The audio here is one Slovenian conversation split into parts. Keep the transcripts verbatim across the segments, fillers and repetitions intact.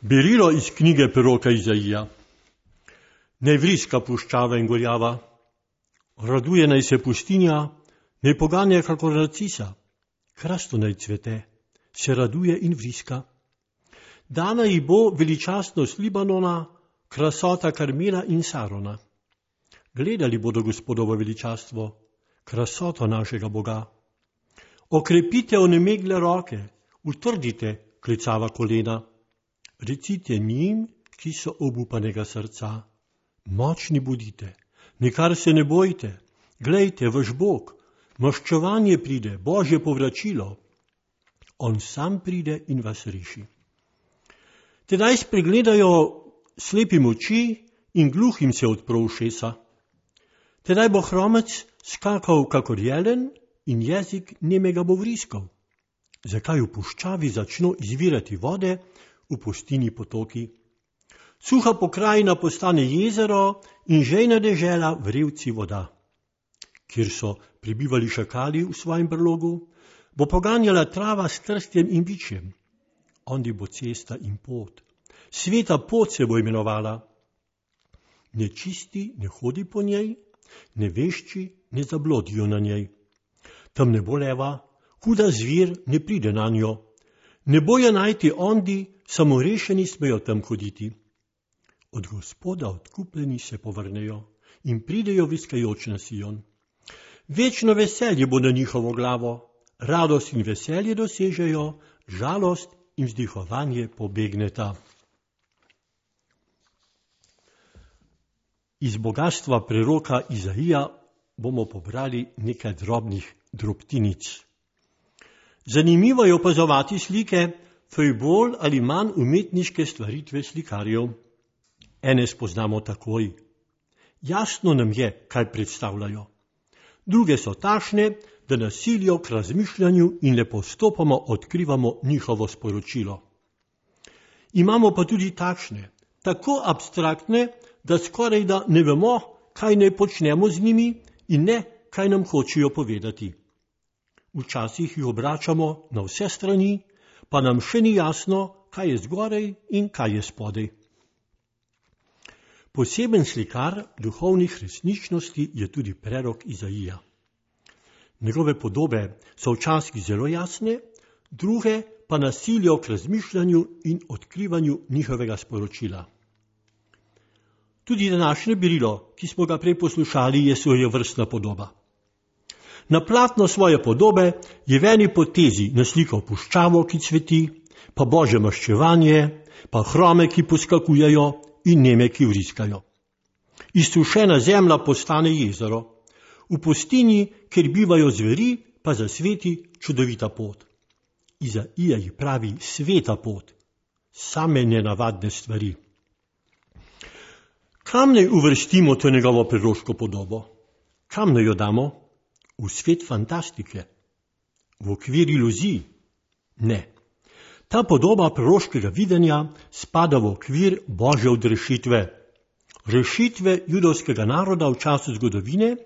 Berilo iz knjige preroka Izaija. Naj vriska puščava in gorjava, raduje naj se pustinja, naj poganja kakor narcisa, krasto naj cvete, se raduje in vriska. Dana ji bo veličastnost Libanona, krasota Karmela in Sarona. Gledali bodo Gospodovo veličastvo, krasoto našega Boga. Okrepite onemegle roke, utrdite klicava kolena. Recite njim, ki so obupanega srca, močni budite, nikar se ne bojte, glejte, vaš Bog, maščevanje pride, Božje povračilo. On sam pride in vas reši. Tedaj spregledajo slepim oči in gluhim se odpro ušesa. Tedaj bo hromec skakal kakor jelen in jezik nemega bo vriskal. Zakaj v puščavi začno izvirati vode, v pustini potoki? Suha pokrajina postane jezero in žejna dežela vrelci voda. Kjer so prebivali šakali v svojem brlogu, bo poganjala trava s trstjem in bičjem. Ondi bo cesta in pot. Sveta pot se bo imenovala. Nečisti ne hodi po njej, nevešči ne zablodijo na njej. Tam ne bo leva, huda zvir ne pride na njo. Ne bojo najti ondi, samo rešeni smejo tam hoditi. Od Gospoda odkupljeni se povrnejo in pridejo viskajoč na Sion. Večno veselje bo na njihovo glavo, radost in veselje dosežejo, žalost in vzdihovanje pobegneta. Iz bogastva preroka Izaija bomo pobrali nekaj drobnih drobtinic. Zanimivo je opazovati slike, fej bolj ali manj umetniške stvaritve slikarjev. Ene spoznamo takoj. Jasno nam je, kaj predstavljajo. Druge so tašne, da nas silijo k razmišljanju in le postopoma odkrivamo njihovo sporočilo. Imamo pa tudi takšne, tako abstraktne, da skoraj da ne vemo, kaj naj počnemo z njimi in ne, kaj nam hočejo povedati. Včasih jih obračamo na vse strani, pa nam še ni jasno, kaj je zgoraj in kaj je spodaj. Poseben slikar duhovnih resničnosti je tudi prerok Izaija. Njegove podobe so včasih zelo jasne, druge pa nas silijo k razmišljanju in odkrivanju njihovega sporočila. Tudi današnje berilo, ki smo ga prej poslušali, je svojevrstna podoba. Na platno svoje podobe je v eni potezi naslikal puščavo, ki cveti, pa Božje maščevanje, pa hrome, ki poskakujejo in neme, ki vriskajo. Izsušena zemlja postane jezero, v pustini, kjer bivajo zveri, pa zasveti čudovita pot. Izaija ji pravi sveta pot, same nenavadne stvari. Kam naj uvrstimo to njegovo preroško podobo? Kam naj jo damo? V svet fantastike? V okvir iluzij? Ne. Ta podoba proroškega videnja spada v okvir Božje odrešitve. Rešitve judovskega naroda v času zgodovine,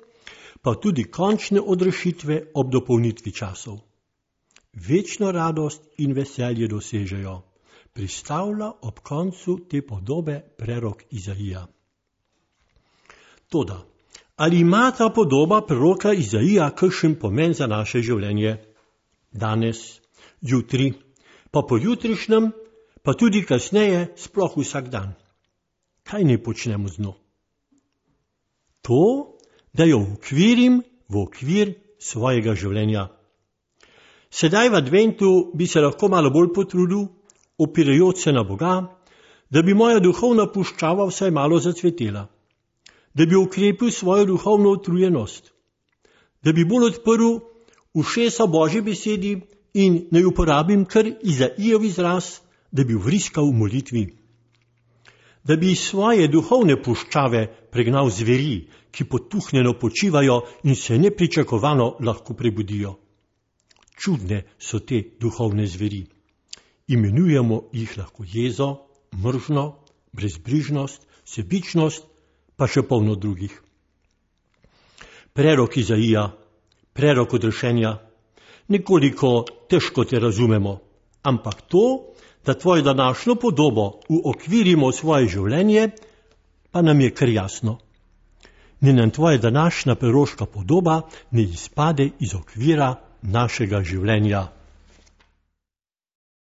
pa tudi končne odrešitve ob dopolnitvi časov. Večno radost in veselje dosežejo, pristavlja ob koncu te podobe prerok Izaija. Toda, ali ima ta podoba preroka Izaija kakšen pomen za naše življenje? Danes, jutri, pa pojutrišnjem, pa tudi kasneje, sploh vsak dan. Kaj naj počnemo z njo? To, da jo ukvirim v okvir svojega življenja. Sedaj v adventu bi se lahko malo bolj potrudil, opirajoč se na Boga, da bi moja duhovna puščava vsaj malo zacvetela, da bi ukrepil svojo duhovno utrujenost, da bi bolj odprl ušesa Božji besedi in naj uporabim kar Izaijev izraz, da bi vriskal v molitvi. Da bi iz svoje duhovne puščave pregnal zveri, ki potuhnjeno počivajo in se nepričakovano lahko prebudijo. Čudne so te duhovne zveri. Imenujemo jih lahko jezo, mržno, brezbrižnost, sebičnost, pa še polno drugih. Prerok Izaija, prerok odrešenja, nekoliko težko te razumemo, ampak to, da tvojo današnjo podobo uokvirimo v svoje življenje, pa nam je kar jasno. Ne nam tvoja današnja peroška podoba ne izpade iz okvira našega življenja.